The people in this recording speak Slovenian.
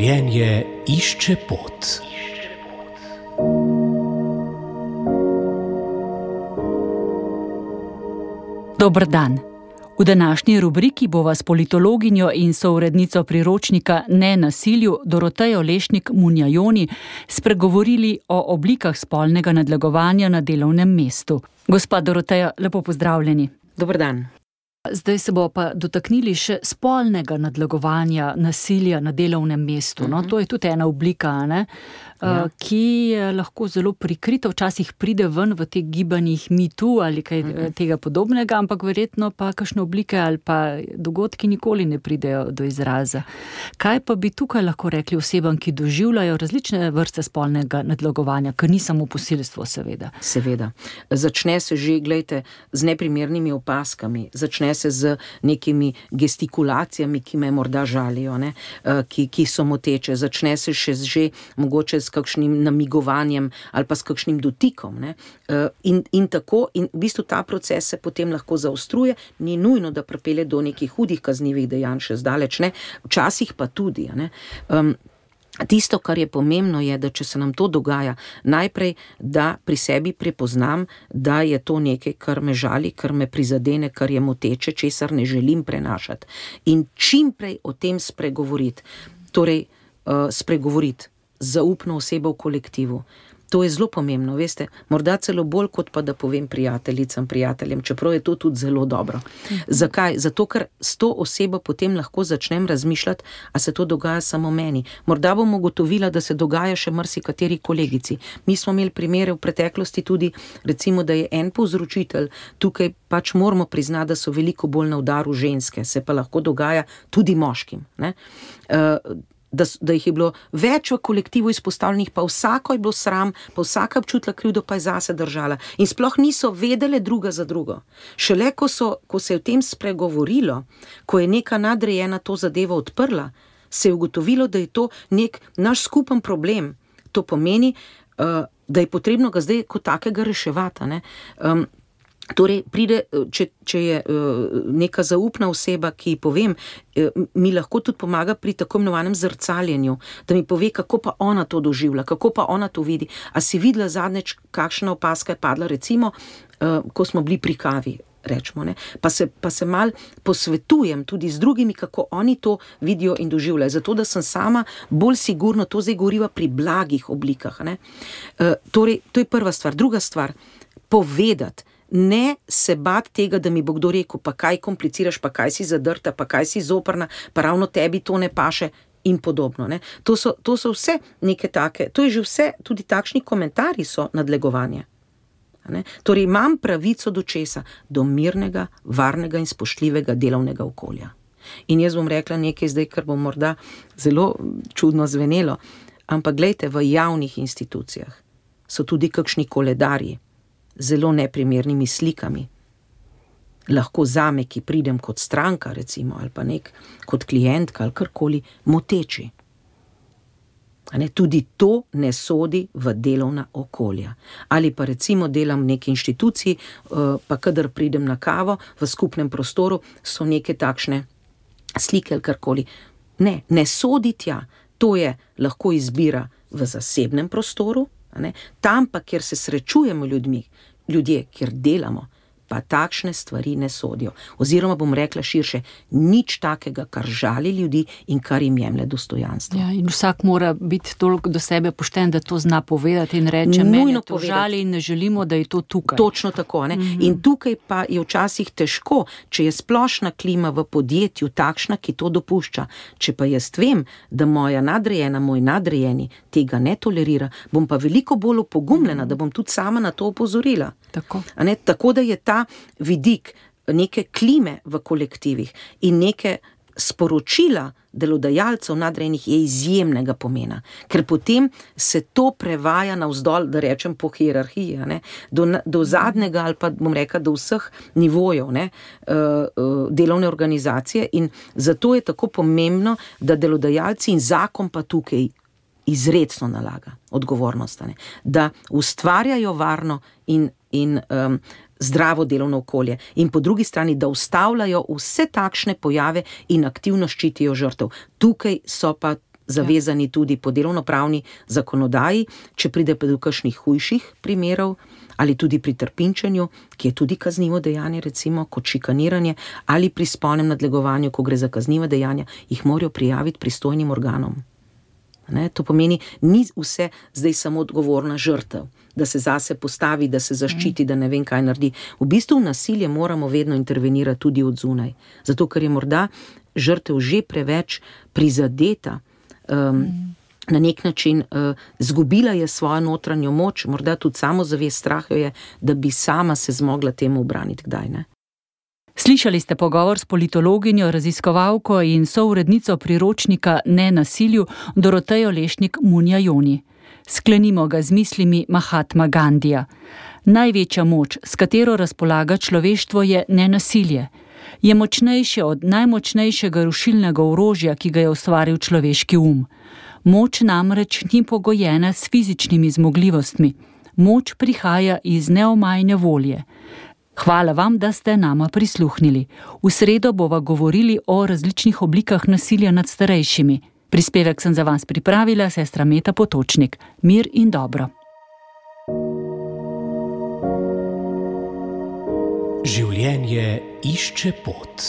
Življenje išče pot. Dober dan. V današnji rubriki bova s politologinjo in sourednico priročnika Ne nasilju Dorotejo Lešnik-Munjajoni spregovorili o oblikah spolnega nadlegovanja na delovnem mestu. Gospa Doroteja, lepo pozdravljeni. Dober dan. Zdaj se bo pa dotaknili še spolnega nadlegovanja nasilja na delovnem mestu. No, to je tudi ena oblika, ne? Ja. Ki je lahko zelo prikrita, včasih pride ven v teh gibanjih Me Too ali kaj tega podobnega, ampak verjetno pa kakšne oblike ali pa dogodki nikoli ne pridejo do izraza. Kaj pa bi tukaj lahko rekli osebam, ki doživljajo različne vrste spolnega nadlegovanja, ker ni samo posilstvo, seveda? Seveda. Začne se že, glejte, z neprimernimi opaskami, začne se z nekimi gestikulacijami, ki me morda žalijo, ne? Ki so moteče, začne se še že mogoče s kakšnim namigovanjem ali pa s kakšnim dotikom, ne? In tako, in v bistvu ta proces se potem lahko zaostruje, ni nujno, da pripelje do nekih hudih kaznivih dejanj, še zdaleč ne, včasih pa tudi, ne? Tisto, kar je pomembno, je, da če se nam to dogaja, najprej, da pri sebi prepoznam, da je to nekaj, kar me žali, kar me prizadene, kar je moteče, česar ne želim prenašati. In čim prej o tem spregovoriti, torej spregovoriti z zaupno osebo v kolektivu. To je zelo pomembno, veste, morda celo bolj, kot pa da povem prijateljicam, prijateljem, čeprav je to tudi zelo dobro. Zakaj? Zato, ker s to osebo potem lahko začnem razmišljati, a se to dogaja samo meni. Morda bom ugotovila, da se dogaja še marsikateri kolegici. Mi smo imeli primere v preteklosti tudi, recimo, da je en povzročitelj, tukaj pač moramo priznati, da so veliko bolj na udaru ženske, se pa lahko dogaja tudi moškim, ne? Da jih je bilo več v kolektivu izpostavljenih, pa vsako je bilo sram, pa vsaka občutila krivdo, pa je zase držala. In sploh niso vedele druga za drugo. Šele, ko se je o tem spregovorilo, ko je neka nadrejena to zadevo odprla, se je ugotovilo, da je to nek naš skupen problem. To pomeni, da je potrebno ga zdaj kot takega reševati, ne? Torej, pride, če je neka zaupna oseba, ki povem, mi lahko tudi pomaga pri tako imenovanem zrcaljenju, da mi pove, kako pa ona to doživlja, kako pa ona to vidi. A si videla zadnjič, kakšna opaska je padla, recimo, ko smo bili pri kavi, rečemo, ne? Pa se mal posvetujem tudi z drugimi, kako oni to vidijo in doživljajo, zato da sem sama bolj sigurno, to zdaj govoriva pri blagih oblikah, ne? Torej, to je prva stvar. Druga stvar, povedati. Ne se bati tega, da mi bo kdo rekel, pa kaj kompliciraš, pa kaj si zadrta, pa kaj si zoprna, pa ravno tebi to ne paše in podobno, ne. To so vse neke take, to je že vse, tudi takšni komentarji so nadlegovanje, ne. Torej imam pravico do česa? Do mirnega, varnega in spoštljivega delovnega okolja. In jaz bom rekla nekaj zdaj, kar bo morda zelo čudno zvenelo, ampak glejte, v javnih institucijah so tudi kakšni koledarji, zelo neprimernimi slikami. Lahko zame, ki pridem kot stranka, recimo, ali pa kot klientka, ali karkoli, moteči. Tudi to ne sodi v delovna okolja. Ali pa recimo delam v neki inštituciji, pa kadar pridem na kavo, v skupnem prostoru so neke takšne slike ali karkoli. Ne sodi tja. To je lahko izbira v zasebnem prostoru, tam pa, kjer se srečujemo ljudje, kjer delamo, pa takšne stvari ne sodijo. Oziroma bom rekla širše, nič takega, kar žali ljudi in kar jim jemlje dostojanstvo. Ja, in vsak mora biti toliko do sebe pošten, da to zna povedati in reče, mene to žali in ne želimo, da je to tukaj. Točno tako, ne? In tukaj pa je včasih težko, če je splošna klima v podjetju takšna, ki to dopušča. Če pa jaz vem, da moja nadrejena, moj nadrejeni tega ne tolerira, bom pa veliko bolj opogumljena, da bom tudi sama na to opozorila. Tako da je ta vidik neke klime v kolektivih in neke sporočila delodajalcev nadrejenih je izjemnega pomena, ker potem se to prevaja navzdol, da rečem po hierarhiji, ne, do zadnjega ali pa bom rekla do vseh nivojev, ne, delovne organizacije in zato je tako pomembno, da delodajalci in zakon pa tukaj izrecno nalaga odgovornost, ne, da ustvarjajo varno in zdravo delovno okolje in po drugi strani, da ustavljajo vse takšne pojave in aktivno ščitijo žrtev. Tukaj so pa zavezani tudi po delovnopravni zakonodaji, če pride pa do kakšnih hujših primerov, ali tudi pri trpinčenju, ki je tudi kaznivo dejanje, recimo kot šikaniranje, ali pri spolnem nadlegovanju, ko gre za kazniva dejanja, jih morajo prijaviti pristojnim organom. Ne, to pomeni, ni vse zdaj samo odgovorna žrtev, da se zase postavi, da se zaščiti, da ne vem, kaj naredi. V bistvu v nasilje moramo vedno intervenirati tudi od zunaj. Zato, ker je morda žrtev že preveč prizadeta, na nek način zgubila je svojo notranjo moč, morda tudi samozavest, strah jo je, da bi sama se zmogla temu ubraniti kdaj, ne. Slišali ste pogovor s politologinjo, raziskovalko in sourednico priročnika Nenasilju Dorotejo Lešnik-Munjajoni. Sklenimo ga z mislimi Mahatma Gandija. Največja moč, s katero razpolaga človeštvo, je nenasilje. Je močnejše od najmočnejšega rušilnega orožja, ki ga je ustvaril človeški Moč namreč ni pogojena s fizičnimi zmogljivostmi. Moč prihaja iz neomajne volje. Hvala vam, da ste nama prisluhnili. V sredo bova govorili o različnih oblikah nasilja nad starejšimi. Prispevek sem za vas pripravila sestra Meta Potočnik. Mir in dobro. Življenje išče pot.